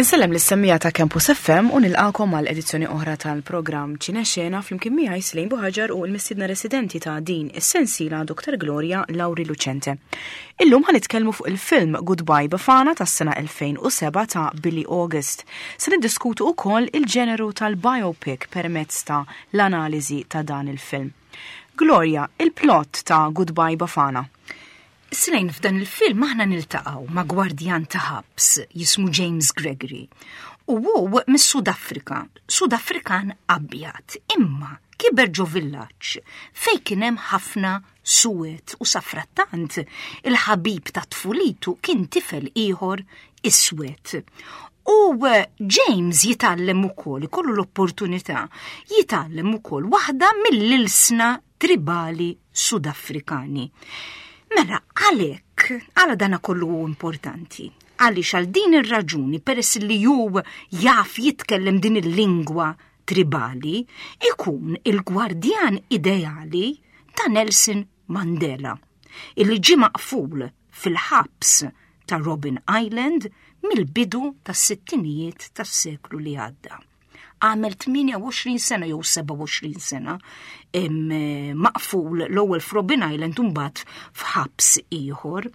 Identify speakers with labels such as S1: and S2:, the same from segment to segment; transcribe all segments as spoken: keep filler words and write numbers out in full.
S1: Insellem lis-semmiegħa ta' Campus F M u nilqakom għal edizzjoni oħra tal-programm Ċinexena flimkien miegħi Slejn Buħaġar u l-mistiedna residenti ta' din is-sensiela, Doktor Gloria Lauri Lucente. Illum ħa nitkellmu fuq il-film Goodbye Bafana tas-sena elfejn u sebgħa ta' Billy August. Se niddiskutu wkoll il-ġeneru tal-biopic permezz ta' l-analiżi ta' dan il-film. Gloria, il-plot ta' Goodbye Bafana.
S2: Slejn, f'dan il-film aħna niltaqgħu ma' gwardjan ta' ħabs jismu James Gregory. U hu mis-Sud Afrika, Sud Afrikan abjad, imma kiber ġo villaġġ fej kien hemm ħafna suwed u safrattant il-ħabib ta' tfulitu kien tifel ieħor iswed. U James jitgħallem ukoll, ikollu l-opportunità jitgħallem ukoll waħda mill-ilsna tribali Sudafrikani. Mela, għalek, għala dana kollu hu importanti? Għaliex għal din ir-raġuni, peress li ju jaf jitkellem din il-lingwa tribali, ikun il-gwardjan ideali ta' Nelson Mandela, illi ġi maqful fil-ħabs ta' Robben Island mill-bidu tas-sittinijiet tas-seklu li għadda. Għamel tmienja u għoxrin sena jew sebgħa u għoxrin sena maqful, l-ewwel f'Robben Island u mbagħad f'ħabs ieħor,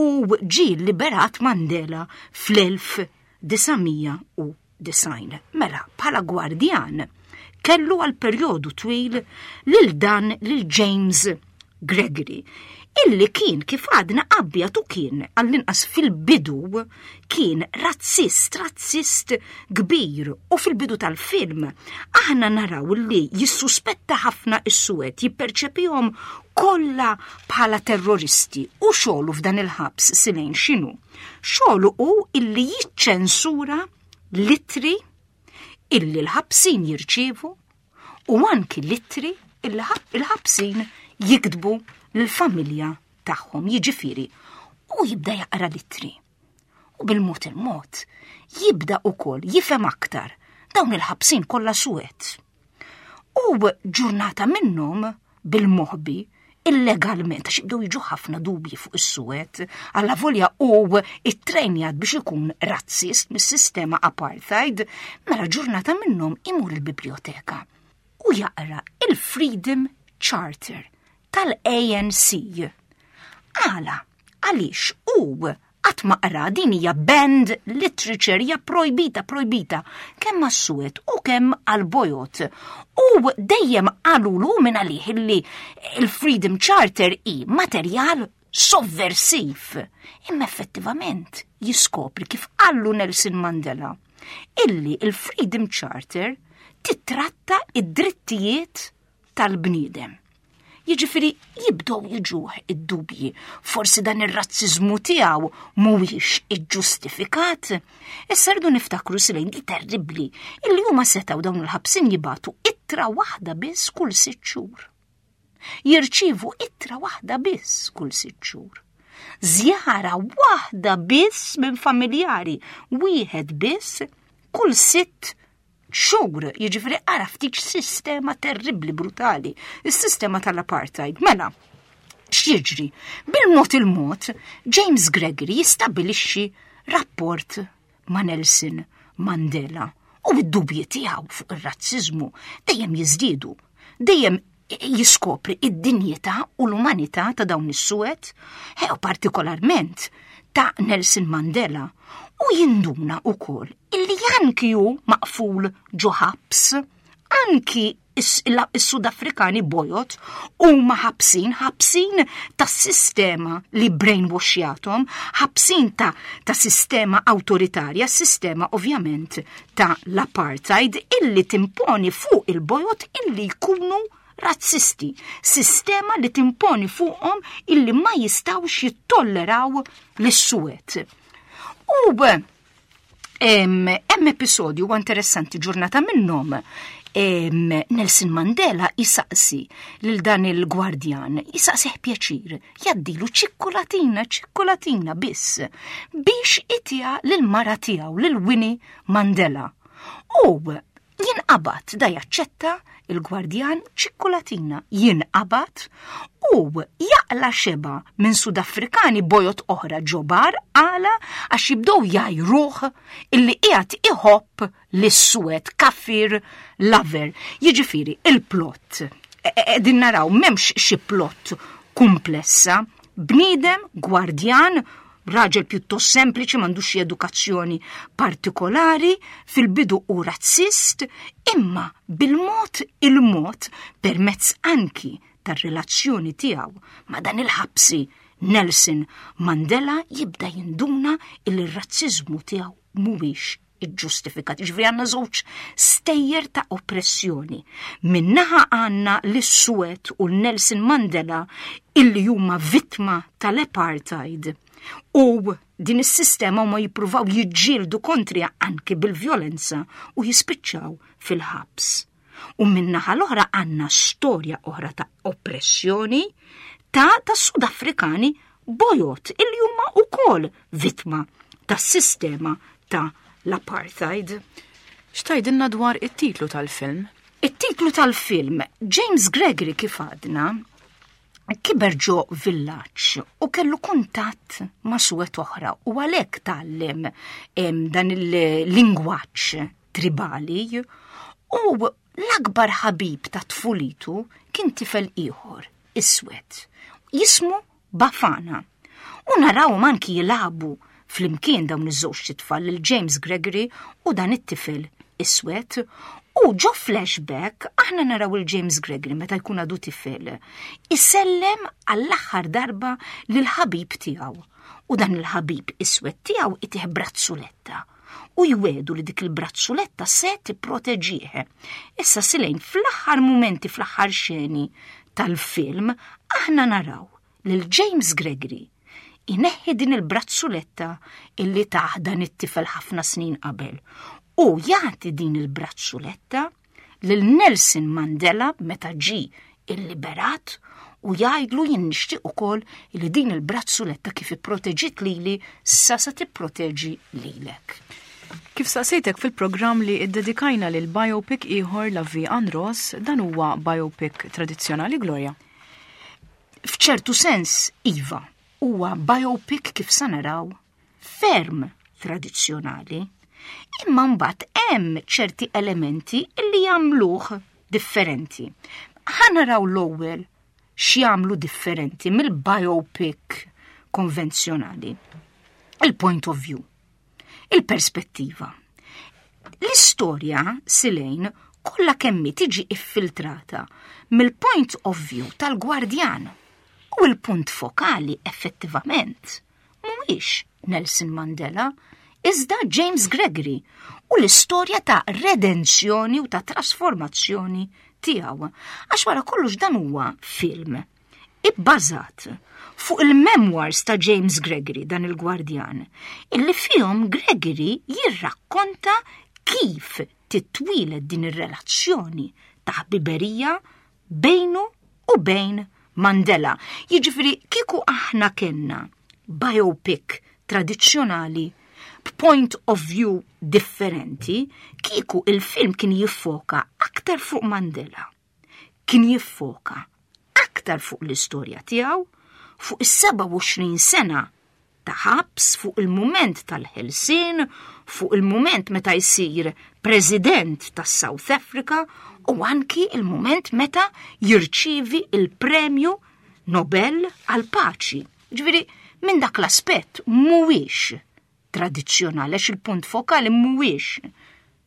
S2: u ġie liberat Mandela fl-elf disa' mija u disgħin. Mela, bħala gwardjan kellu għal perjodu twil lil dan lil James Gregory, illi kien, kif għadna, abjad u kien, għall-inqas fil-bidu, kien razzist, razzist kbir, u fil-bidu tal-film aħna naraw li jissuspetta ħafna is-suwed, jipperċepihom kollha bħala terroristi. U xogħlu f'dan il-ħabs, Silejn, x'inhu? Xogħlu hu illi jiċċensura l-ittri illi l-ħabsin jirċievu u anki l-ittri illi il-ħabsin jiktbu l-familja tagħhom, jiġifieri u jibda jaqra l-ittri. U bil-mod il-mod jibda ukoll jifhem aktar dawn il-ħabsin kollha suwed. U ġurnata minnhom, bil-moħbi, illegalment, għax jibdew jiġu ħafna dubji fuq is-suwed, avolja hu ittrejnjat biex ikun razzist mis-sistema apartheid, mela ġurnata minnhom imur il-biblioteka u jaqra il-Freedom Charter tal-A N C. Għala, għaliex u qatt ma qra din? Hija banned literature, hija projbita, projbita kemm għas-suwed u kemm għal-bojod. U dejjem qalulu minn għalih illi il-Freedom Charter hi materjal sovversiv. Imma effettivament jiskopri, kif qallu Nelson Mandela, illi il-Freedom Charter titratta id-drittijiet tal-bniedem. Jiġifieri jibdew jiġuh id-dubji, forsi dan ir-razziżmu tiegħu mhuwiex iġġustifikat. Issa rridu niftakru, Silejn, di terribbli, illi huma setgħu, dawn il-ħabsin, jibagħtu ittra waħda biss kull sitt xhur. Jirċievu ittra waħda biss kull sitt xhur. Żjara waħda biss minn familjari, wieħed biss kull sitt xhur, jiġifieri ara ftit sistema terribli, brutali, is-sistema tal-apartheid. Mela, x'jiġri? Bil-mod il-mod, James Gregory jistabilixxi rapport ma' Nelson Mandela u id-dubji tiegħu fuq ir-razziżmu dejjem jiżdiedu, dejjem jiskopri id-dinjità u l-umanità ta' dawn is-suwed, u partikolarment ta' Nelson Mandela, u jinduna ukoll illi anki hu maqful ġo ħabs, anki is-Sudafrikani bojod huma ħabsin, ħabsin ta' sistema li brainwashjathom, ħabsin ta', ta' sistema autoritarja, sistema ovvjament ta' l-apartheid illi timponi fuq il-bojod illi jkunu razzisti, sistema li timponi fuqhom illi ma jistawx jittolleraw l-suwed. U hemm episodju interessanti. Ġurnata minnhom Nelson Mandela jisaqsi lil dan il-gwardjan, jisaqsih pjaċir, jgħaddilu ċikkolatina, ċikkolatina biss, biex itiha lil mara tiegħu, lil Winnie Mandela. U jinqata Jinqabad, da jaċċetta il-gwardjan ċikkulatina, jinqabad u jaqla xeba minn Sudafrikani bojod oħra ġo bar għala għax jibdew jgħajruh illi qiegħed iħobb lis-suwed kaffir lover. Jiġifieri il-plot. Din naraw m'hemmx xi plot komplessa, bniedem, gwardjan, raġel pjuttost sempliċi, m'għandux xi edukazzjoni partikolari, fil-bidu u razzist, imma bil-mod il-mod permezz anki tar-relazzjoni tiegħu ma' dan il-ħabsi Nelson Mandela jibda jinduna il-razzizmu tiegħu mhuwiex iġġustifikat. Ġifieri għandna żewġ stejjer ta' oppressjoni. Min-naħa għandna l-Suwed u Nelson Mandela illi huma vittma tal-apartheid. U din is-sistema huma jippruvaw jiġġieldu kontriha anki bil-vjolenza u jispiċċaw fil-ħabs. U min-naħa l-oħra għandna storja oħra ta' oppressjoni ta' ta' Sudafrikani bojod illi huma wkoll vittma tas-sistema ta' l-apartheid.
S1: X'tgħidilna dwar it-titlu tal-film?
S2: It-titlu tal-film, James Gregory kif għadna, kiber ġo villaġġ u kellu kuntatt ma' suwed oħra u għalhekk tgħallem dan il-lingwaġġ tribali u l-akbar ħabib ta' tfulitu kien tifel ieħor, iswed, jismu Bafana. U naraw anki jilagħbu flimkien dawn iż-żewġ tfal, il-James Gregory u dan it-tifel iswed. U ġo flashback aħna naraw il-James Gregory meta jkun għadu tifel isellem għall-aħħar darba lil ħabib tiegħu. U dan il-ħabib iswed tiegħu itih brazzuletta u jwiegħdu li dik il-brazzuletta se tipproteġih. Issa Silejn fl-aħħar mumenti, fl-aħħar xeni tal-film, aħna naraw lil James Gregory ineħħi din il-brazzuletta illi tah dan it-tifel ħafna snin qabel u jagħti din il-brazzuletta lil Nelson Mandela meta ġi illiberat u jgħidlu jien nixtieq ukoll li din il-brazzuletta kif ipproteġiet lili sa sa tipproteġi lilek.
S1: Kif saqsejtek fil-programm li iddedikajna lil biopic ieħor La Vie en Rose, dan huwa biopic tradizzjonali, Gloria?
S2: F'ċertu sens, iva, huwa biopic kif sa naraw ferm tradizzjonali, imma mbagħad hemm ċerti elementi li jagħmluh differenti. Ħa naraw l-ewwel x'jagħmlu differenti mill-biopic konvenzjonali. Il-point of view, il-perspettiva. L-istorja, Silejn, kollha kemm tiġi iffiltrata mill-point of view tal-gwardjan. U l-punt fokali effettivament mhuwiex Nelson Mandela, iżda James Gregory u l-istorja ta' redenzjoni u ta' trasformazzjoni tiegħu. Għax wara kollox dan huwa film ibbażat fuq il-memoirs ta' James Gregory, dan il-gwardjan, illi fihom Gregory jirrakkonta kif titwieled din ir-relazzjoni ta' ħbiberija bejnu u bejn Mandela. Jiġifieri kieku aħna kellna biopic tradizzjonali b'point of view differenti, kieku il-film kien jiffoka aktar fuq Mandela. Kien jiffoka aktar fuq l-istorja tiegħu, fuq is-sebgħa u għoxrin sena ta' ħabs, fuq il-mument tal-ħelsien, fuq il-mument meta jsir president tas South Africa u anki il-mument meta jirċivi il-premju Nobel għal-paċi. Ġifieri, minn dak l-aspett mhuwiex tradizzjonali, għax il-punt fokali mhuwiex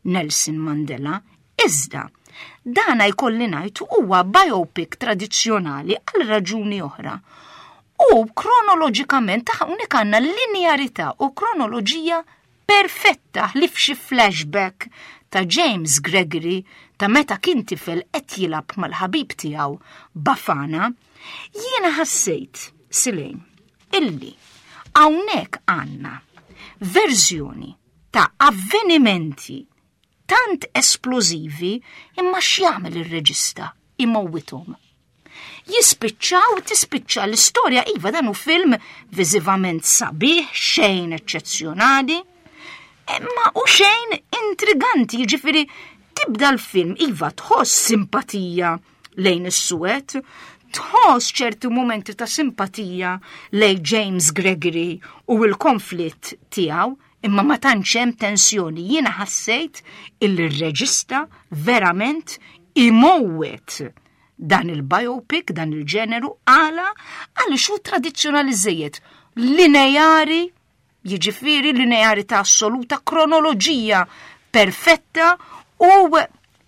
S2: Nelson Mandela, iżda dana jkolli ngħid huwa biopic tradizzjonali għal raġuni oħra. U kronoloġikament hawnhekk għandna linearità u kronoloġija perfetta li f'xi flashback ta' James Gregory ta' meta kien tifel qed jilgħab mal-ħabib tiegħu Bafana, jiena ħassejt, Silejn, illi hawnhekk għandna verżjoni ta' avvenimenti tant esplożivi imma x'jagħmel ir-reġista imowwithom. Jispiċċaw, tispiċċa l-istorja, iva dan hu film viżivament sabiħ, xejn eċċezzjonali, imma u xejn intriganti, jiġifieri Tibda l-film, iva, tħoss simpatija lejn is-suwed, tħoss ċerti momenti ta' simpatija lejn James Gregory u l-konflitt tiegħu, imma ma tantx hemm tensjoni. Jiena ħassejt il-reġista verament imowwet dan il-biopic, dan il-ġeneru, għala għaliex hu tradizzjonali żejjed, lineari, jiġifieri linearità assoluta, kronoloġija perfetta u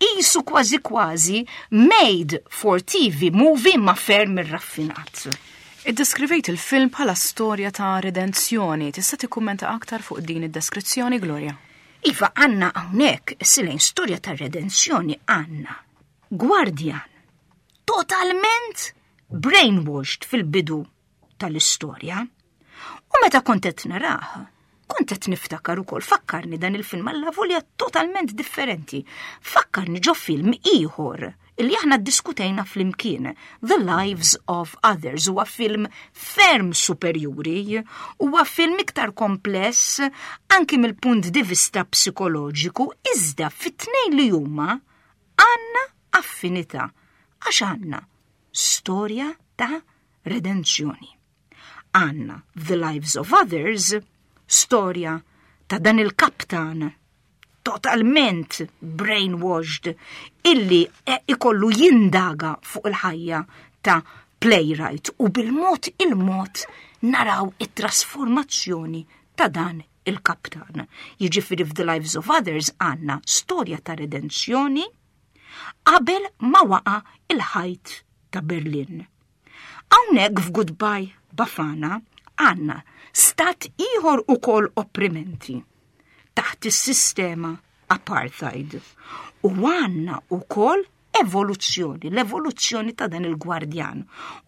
S2: qisu kważi kważi made for T V movie ma ferm irraffinat.
S1: Iddeskrivejt il-film bħala storja ta' redenzjoni. Tista' tikkummenta aktar fuq din id-deskrizzjoni, Gloria?
S2: Iva, għandna hawnhekk, silejn, storja ta' redenzjoni. Għandna gwardjan totalment brainwashed fil-bidu tal-istorja. U meta kont qed narah, kont qed niftakar ukoll, fakkarni dan il-film, allavolja totalment differenti. Fakkarni ġo film ieħor illi aħna diskutejna flimkien, The Lives of Others. Huwa film ferm superjuri, huwa film iktar kompless anki mill-punt di vista psikoloġiku, iżda fit-tnejn li huma għandna affinità għax għandna storja ta' redenzjoni. Għandna The Lives of Others, storja ta' dan il-kaptan totalment brainwashed illi ikollu jindaga fuq il-ħajja ta' playwright u bil-mod il-mod naraw it-trasformazzjoni ta' dan il-kaptan. Jiġifieri f'The Lives of Others għandna storja ta' redenzjoni qabel ma waqa il-ħajt ta' Berlin. Hawnhekk f'Goodbye Bafana għandna stat ieħor ukoll opprimenti taħt is-sistema apartheid. U għandna ukoll evoluzzjoni, l-evoluzzjoni ta' dan il-gwardjan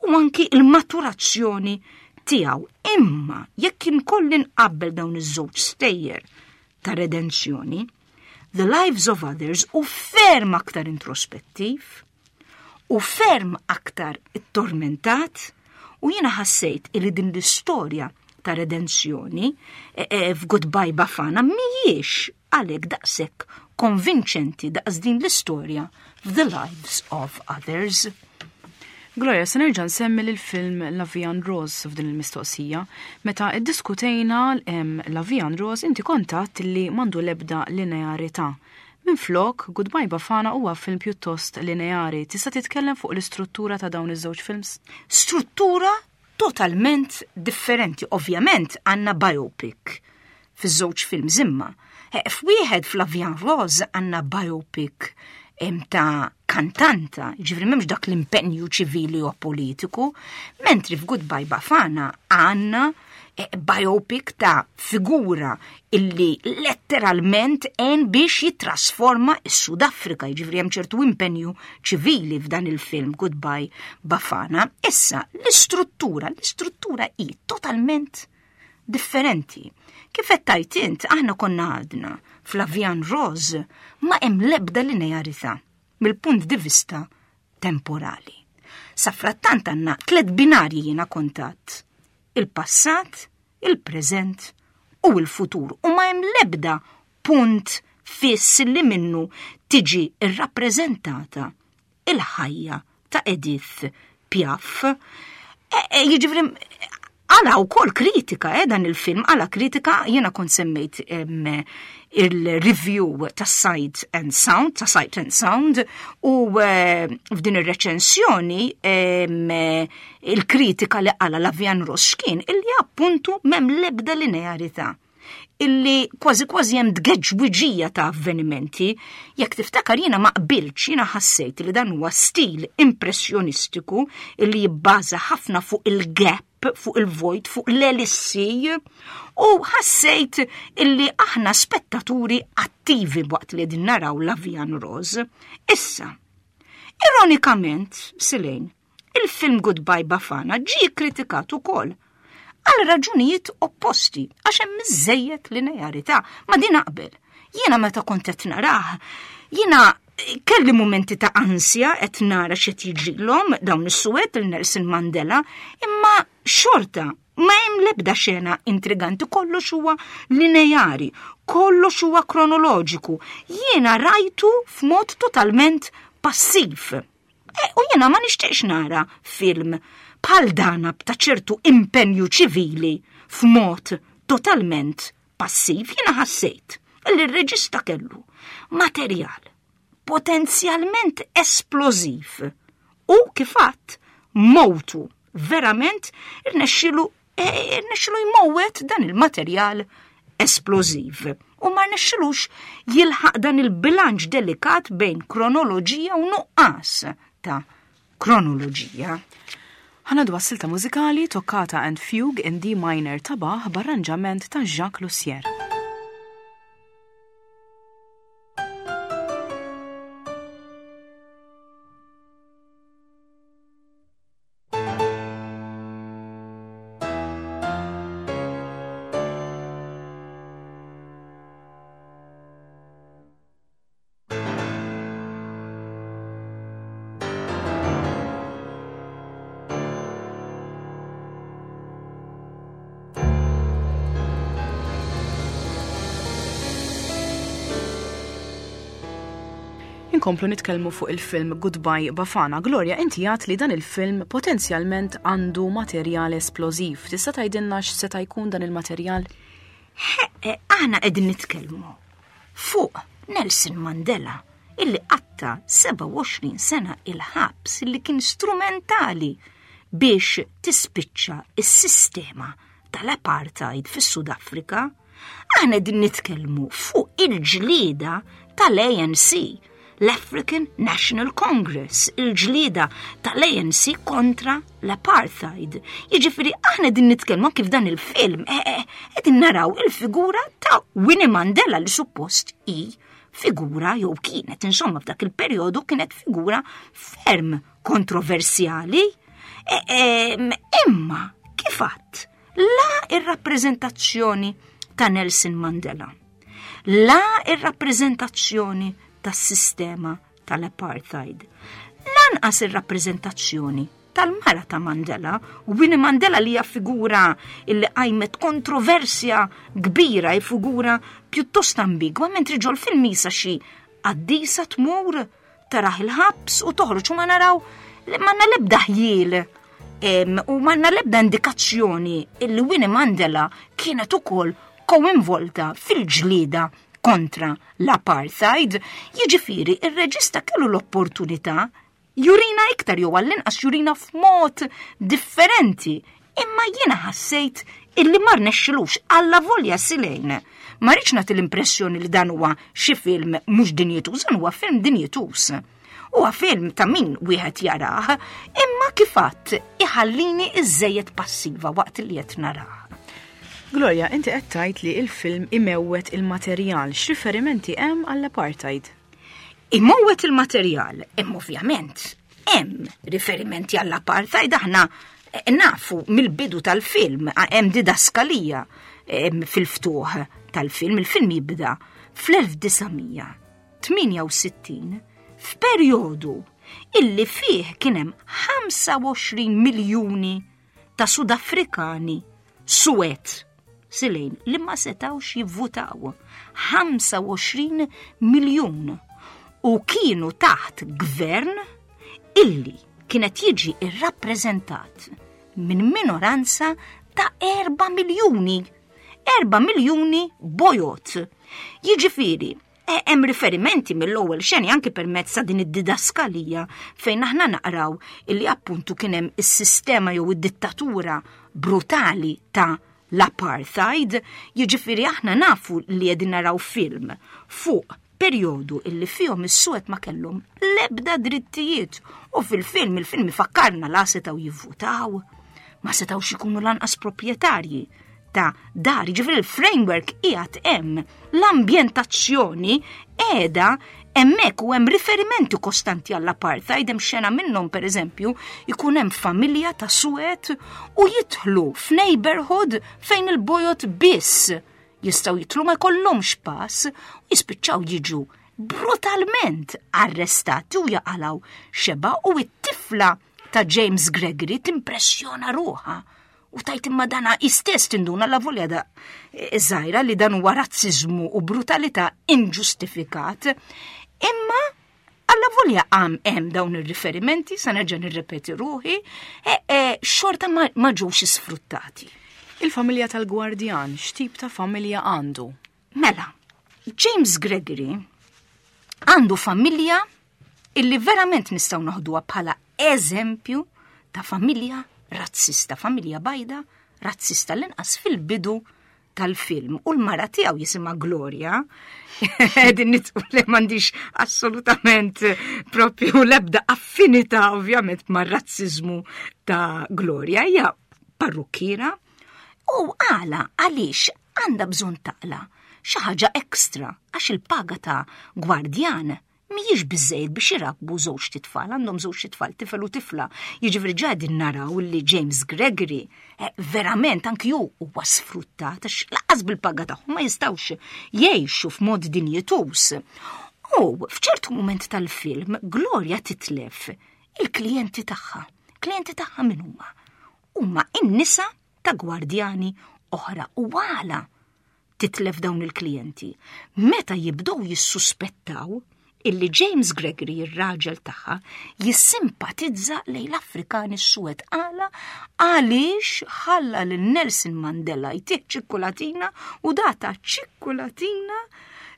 S2: u anki il-maturazzjoni tiegħu. Imma jekk inkolli nqabbel dawn iż-żewġ stejjer ta' redenzjoni, The Lives of Others hu ferm aktar introspettiv u ferm aktar tormentat u jiena ħassejt illi din l-istorja ta' redenzjoni e, e, f'Goodbye Bafana mhijiex għalhekk daqshekk konvinċenti daqs din l-istorja f'The Lives of Others.
S1: Gloria, se nerġa' nsemmi l-film La Vie en Rose f'din il-mistoqsija. Meta iddiskutejna La Vie en Rose, inti kont għedt li m'għandu lebda linearità. Minflok, Goodbye Bafana huwa film pjuttost lineari. Tista' titkellem fuq l-istruttura ta' dawn iż-żewġ films?
S2: Struttura totalment differenti. Ovvjament għandna biopic fiż-żewġ films, imma eh, f'wieħed, f'La Vie en Rose, għandna biopic ta' kantanta, ġifieri m'hemmx dak l-impenju ċivili u politiku, mentri f'Goodbye Bafana għandna eh, biopic ta' figura illi letteralment għen biex jitrasforma is-Sud Afrika, ġifieri hemm ċertu impenju ċivili f'dan il-film Goodbye Bafana. Issa, l-istruttura, l-istruttura hi totalment differenti. Kif qed tgħid int, aħna konna għadna f'La Vie en Rose ma hemm lebda linearità mill-punt di vista temporali. Safrattant għandna tliet binarji, jiena kont għedt: il-passat, il-preżent u il-futur. U ma hemm lebda punt fiss li minnu tiġi irrappreżentata il-ħajja ta' Edith Piaf. E, e, jiġifieri għala u kritika, eh, dan il-film, għala kritika. Jena kont semmejt il-review ta' Sight and Sound, ta' Sight and Sound, u eh, f'din ir-reċensjoni il-kritika li għala La Vie en Rose x'kien? Illi appuntu m'hemm lebda linearità, illi kważi kważi hemm tgeġwiġija ta' avvenimenti. Jekk tiftakar, jiena ma qbiltx, jiena ħassejt li dan huwa stil impressjonistiku illi jibbaża ħafna fuq il-gap, fuq il-vojt, fuq l-elissi, u ħassejt illi aħna spettaturi attivi waqt li din naraw La Vie en Rose. Issa, ironikament, Silejn, il-film Goodbye Bafana ġi kritikat ukoll għal raġunijiet opposti, għax hemm iżejjed linearità. Ma din naqbel. Jiena meta kont qed narah, jiena kelli momenti ta' ansja qed nara x'qed jiġrilhom dawn is-suwed, il Nelson Mandela, imma xorta Ma hemm l-ebda xena intriganti, kollox huwa lineari, kollox huwa kronoloġiku. Jiena rajtu f'mod totalment passiv. E, u jiena ma nixtieqx nara film bħal dana ta' ċertu impenju ċivili f'mod totalment passiv. Jiena ħassejt li r-reġista kellu materjal potenzjalment esplożiv u kif għedt mowtu verament irnexxilu e, irnexxilu jmowwet dan il-materjal esplożiv u ma rnexxilux jilħaq dan il-bilanċ delikat bejn kronoloġija u nuqqas ta' kronoloġija.
S1: Ħa ngħaddu għas-silta mużikali Toccata and Fugue in D minor ta' Bach b'arranġament ta' Jacques Loussier. Inkomplu nitkellmu fuq il-film Goodbye Bafana. Gloria, inti għedt li dan il-film potenzjalment għandu materjal esplożiv. Tista' tgħidilna x'seta' jkun dan il-materjal?
S2: Aħna qegħdin nitkellmu fuq Nelson Mandela illi qatta sebgħa u għoxrin sena il-ħabs illi kien strumentali biex tispiċċa is-sistema tal-apartheid fis-Sud Afrika. Aħna qegħdin nitkellmu fuq il-ġlieda tal-A N C, l-African National Congress, il-ġlieda tal-A N C kontra l-apartheid. Jiġifieri aħna qegħdin nitkellmu kif dan il-film, eh, eh, qegħdin naraw il-figura ta' Winnie Mandela li suppost hi figura jew kienet, insomma f'dak il-perjodu kienet figura ferm kontroversjali. Eh, eh, imma kif għadt, la ir-rappreżentazzjoni ta' Nelson Mandela, la ir-rappreżentazzjoni tas-sistema tal-apartheid, lanqas ir-rappreżentazzjoni tal-mara ta' Mandela, Winnie Mandela li hija figura illi qajmet kontroversja kbira, hi figura pjuttost ambigwa, mentri ġol film isa xi qaddisa tmur taraħ il-ħabs u toħroġ u ma naraw li m'għandna l-ebda ħjiel, em, u m'għandna l-ebda indikazzjoni illi Winnie Mandela kienet ukoll koinvolta fil-ġlieda kontra l-apartheid. Jiġifieri ir-reġista kellu l-opportunità jurina iktar jew għall-inqas jurina f'mod differenti, imma jiena ħassejt illi ma rnexxilux alla volja silejn. Ma rridx nagħti l-impressjoni li dan huwa xi film mhux dinjetuż, dan huwa film dinjetuż. Huwa film ta' min wieħed jarah, imma kif għedt iħallini iżżejjed passiva waqt li qed narah.
S1: Gloria, inti qed tgħid li il-film imewwet il-materjal. X'riferimenti hemm għall-apartheid?
S2: Imewwet il-materjal, imma ovvjament hemm riferimenti għall-apartheid. Aħna nafu mill-bidu tal-film, hemm didaskalija fil-ftuħ tal-film. Il-film jibda fl-elf disa' mija tmienja u sittin f'perjodu illi fih kien hemm ħamsa u għoxrin miljuni ta' Sudafrikani suwed silejn li ma setawx jivvutaw. ħamsa u għoxrin miljun u kienu taħt gvern illi kienet jiġi irrappreżentat minn minoranza ta' erba' miljuni. Erba' miljuni bojot. Jiġifieri, e-, hemm riferimenti mill-ewwel xeni anki permezz ta' din id-didaskalija fejn aħna naqraw illi appuntu kien hemm is-sistema jew id-dittatura brutali ta' l-apartheid. Jiġifieri aħna nafu li qegħdin naraw film fuq perjodu illi fihom is-suwed ma kellhom l-ebda drittijiet u fil-film il-film ifakkarna la setgħu jivvutaw, ma setgħux ikunu lanqas proprjetarji ta' dar. Jiġifieri il-framework qiegħed hemm, l-ambjentazzjoni qiegħda hemmhekk u hemm riferimenti kostanti għall-apartheid. Hemm xena minnhom pereżempju ikun hemm familja ta' suwed u jidħlu f'neighborhood fejn il-bojot biss jistgħu jidħlu, ma jkollhomx pass u jispiċċaw jiġu brutalment arrestati u jaqalgħu xeba. U t-tifla ta' James Gregory timpressjona ruħha U tgħid imma dana istess tinduna la volja da żgħira li dan huwa razziżmu u brutalità inġustifikat. Imma alla volja għam hemm dawn ir-riferimenti, sa nerġa' nirrepeti ruħi, e, e, xorta ma, ma ġewx isfruttati.
S1: Il-familja tal-gwardjan, x'tip ta' familja għandu?
S2: Mela, James Gregory għandu familja illi verament nistgħu noħduha bħala eżempju ta' familja razzista, familja bajda razzista l-inqas fil-bidu tal-film. U l-mara tiegħu jisimha Gloria. Din nitqu li m'għandix assolutament propju l-ebda affinità ovvjament mar-razziżmu ta' Gloria. Hija parrukkiera u għala għaliex għandha bżonn taqla xi ħaġa ekstra għax il-paga ta' gwardjan mhijiex biżejjed biex irabbu żewġ titfal, għandhom żewġ titfal, tifel u tifla. Jiġifieri ġa qegħdin naraw li James Gregory eh, verament anki hu huwa sfruttat għax lanqas bil-paga tagħhom ma jistgħux jgħixu f'mod dinjituż. U f'ċertu mument tal-film Gloria titlef il-klijenti tagħha. Klijenti tagħha min huma? Huma in-nisa ta' gwardjani oħra u għala titlef dawn il-klijenti. Meta jibdew jissuspettaw illi James Gregory, ir-raġel tagħha, jissimpatizza lejn l-Afrikani suwed għala għaliex ħalla lil Nelson Mandela jtih ċikkulatina u data ċikkulatina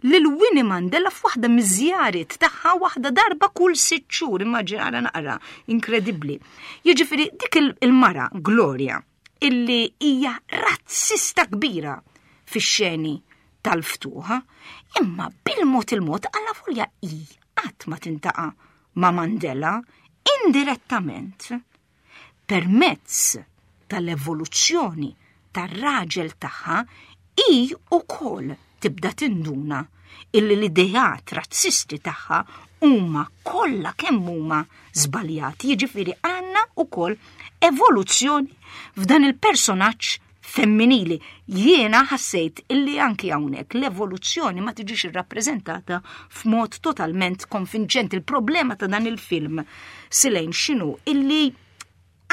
S2: lil Winnie Mandela f'waħda miż-żjarit tagħha waħda darba kull sitt xhur, immaġina naqra, inkredibbli. Jiġifieri dik il-mara Gloria illi hija razzista kbira fix-xeni tal-ftuħa, imma bil-mod il-mod għalla volja i qatt ma tiltaqa' ma' Mandela indirettament permezz tal-evoluzzjoni tar-raġel tagħha i ukoll tibda tinduna illi l-ideat razzisti tagħha huma kollha kemm huma żbaljati. Jiġifieri għandna ukoll evoluzzjoni f'dan il-personaġġ femminili. Jiena ħassejt illi anki hawnhekk l-evoluzzjoni ma tiġix irrappreżentata f'mod totalment konvinċenti. Il-problema ta' dan il-film Silejn x'inhu illi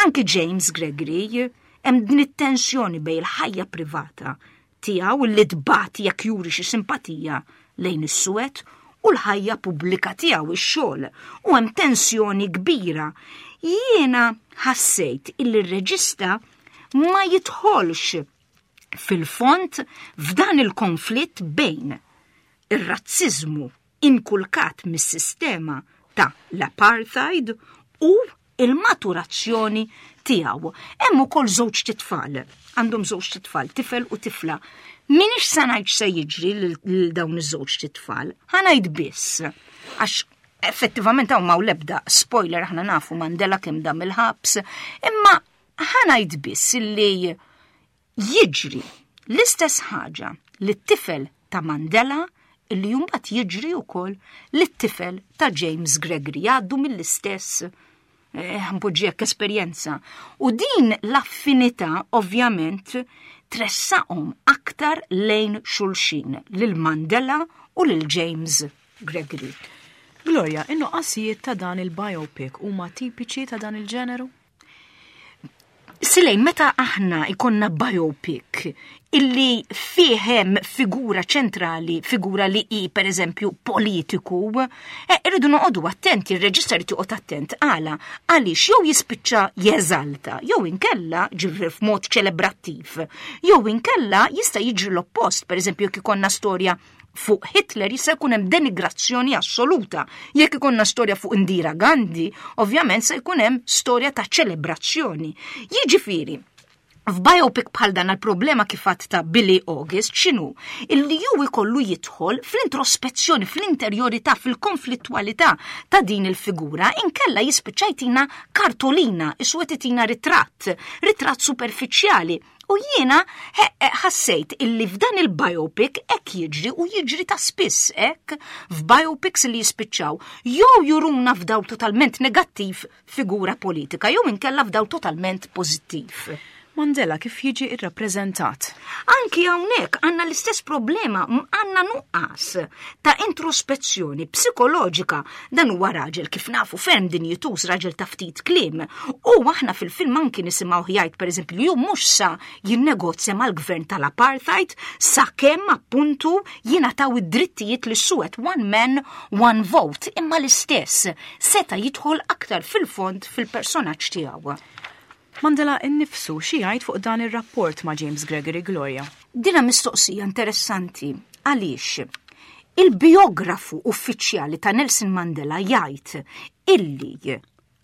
S2: anki James Gregory hemm din it-tensjoni bejn il-ħajja privata tiegħu li tbati jekk juri xi simpatija lejn is-suwed u l-ħajja pubblika tiegħu ix-xogħol u hemm tensjoni kbira. Jiena ħassejt illi r-reġista ma jidħolx fil-fond f'dan il-konflitt bejn ir-razziżmu inkulkat mis-sistema ta' l-apartheid u il-maturazzjoni tiegħu. Hemm ukoll żewġ titfal, għandhom żewġ titfal, tifel u tifla. Minix sa ngħid se jiġri lil dawn iż-żewġ titfal, ħa ngħid biss għax effettivament hawn m'hawn l-ebda spoiler aħna nafu Mandela kemm dam il-ħabs, imma ħa ngħid biss li jiġri l-istess ħaġa li t-tifel ta' Mandela illi mbagħad jiġri wkoll li t-tifel ta' James Gregory jgħaddu mill-istess eh, npoġġi esperjenza. U din l-affinità ovvjament tressaqhom aktar lejn xulxin lil Mandela u lil James Gregory.
S1: Gloria, in-nuqqasijiet ta' dan il-biopic huma tipiċi ta' dan il-ġeneru?
S2: Silejn, meta aħna ikonna biopic illi fih hemm figura ċentrali, figura li hi per eżempju politiku, eh, irridu noqogħdu attenti, il-reġista jrid joqgħod attent għala għaliex jew jispiċċa jeżalta, jew inkella ġifri f'mod ċelebrattiv, jew inkella jista' jiġri l-oppost, per eżempju jekk ikollna storja fuq Hitler jista' jkun hemm denigrazzjoni assoluta. Jekk ikollna storja fuq Indira Gandhi, ovvjament se jkun hemm storja ta' ċelebrazzjoni. Jiġifieri, f'biopic bħal dan il-problema kif għedt ta' Billy August x'inhu? Illi ju ikollu jidħol fl-introspezzjoni, fl-interjorità, fil-konflittwalità ta' din il-figura, inkella jispiċċa jtina kartolina, iswed itina ritratt, ritratt superfiċjali. U jiena ħassejt illi f'dan il-biopic hekk jiġri u jiġri ta' spiss hekk f'biopics li jispiċċaw jew juruna f'dawl totalment negattiv figura politika jew inkella f'dawl totalment pożittiv.
S1: Mandela kif jiġi irrappreżentat?
S2: Anki hawnhekk għandna l-istess problema, għandna nuqqas ta' introspezzjoni psikoloġika. Dan huwa raġel kif nafu ferm dinjituż, raġel ta' ftit kliem. U aħna fil-film anki nisimgħu jgħid, pereżempju, li hu mhux sa jinnegozja mal-gvern tal-apartheid sakemm appuntu jingħataw id-drittijiet lis-suwed, one man, one vote, imma l-istess seta' jidħol aktar fil-fond fil-personaġġ tiegħu.
S1: Mandela innifsu xi jgħid fuq dan ir-rapport ma' James Gregory, Gloria?
S2: Dina mistoqsija interessanti, għaliex il-biografu uffiċjali ta' Nelson Mandela jgħid illi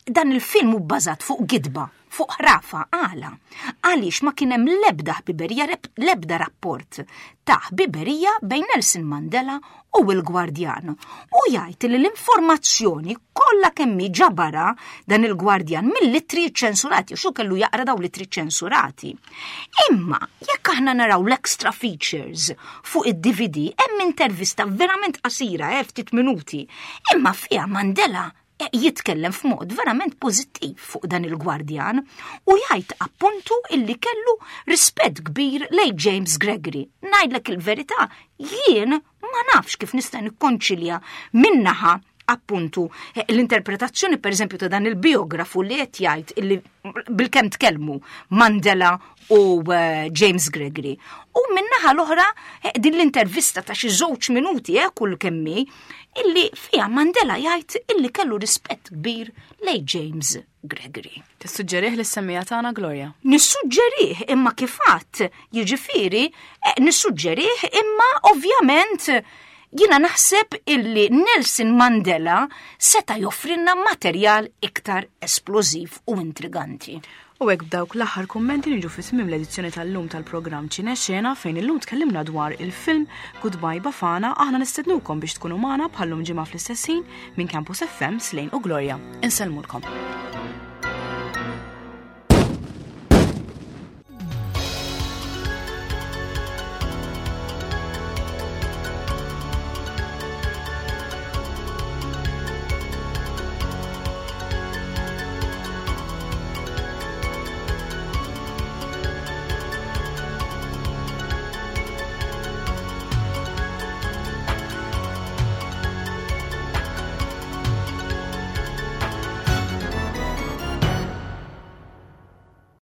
S2: dan il-film hu bbażat fuq gidba, fuq ħrafa. Għala? Għaliex ma kien hemm l-ebda ħbiberija, l-ebda rapport ta' ħbiberija bejn Nelson Mandela u l-gwardjan. U jgħid li l-informazzjoni kollha kemm ġabarha dan il-gwardjan mill-ittri ċensurati, xu kellu jaqra daw l-ittri ċensurati. Imma jekk aħna naraw l-extra features fuq id-D V D, hemm intervista verament qasira, eh, ftit minuti, imma fiha Mandela eh, jitkellem f'mod verament pożittiv fuq dan il-gwardjan u jgħid appuntu illi kellu rispett kbir lej James Gregory. Ngħidlek il-verità, jien ma nafx kif nista' nikkonċilja min-naħa appuntu eh, l-interpretazzjoni, per eżempju, ta' dan il-biografu li qed jgħid illi bilkemm tkellmu Mandela u eh, James Gregory. U min-naħa l-oħra eh, din l-intervista ta' xi żewġ minuti eh, kull kemmi illi fija Mandela jgħid illi kellu rispett kbir lej James Gregory.
S1: Tissuġġerih lis-semmiegħa tagħna, Gloria?
S2: Nissuġġerih, imma kif għedt, jiġifieri, eh, nissuġġerih, imma ovvjament jina naħseb illi Nelson Mandela seta joffrinna materjal iktar esplożiv u intriganti.
S1: U hekk, b'dawk l-aħħar kummenti, niġu fi tmiem l-edizzjoni tal-lum tal-programm Ċine Xena, fejn illum tkellimna dwar il-film Goodbye Bafana. Aħna nistednukom biex tkunu magħna bħallum ġimgħa fl-istess ħin. Minn Campus F M, Slane u Gloria. Insellmulkom.